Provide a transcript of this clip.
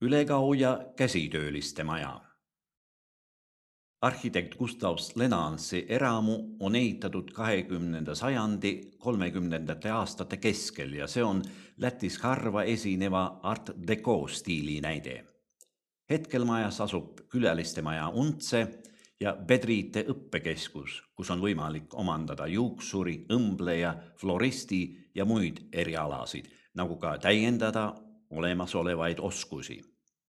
Ülegau ja käsitööliste maja. Arhitekt Gustav Slenansi eramu on ehitatud 20. sajandi 30. aastate keskel ja see on Lätis harva esineva art deco stiili näide. Hetkel majas asub külaliste maja Untse ja Bedriite õppekeskus, kus on võimalik omandada juuksuri, õmbleja, floristi ja muid erialasid, nagu ka täiendada olemasolevaid oskusi.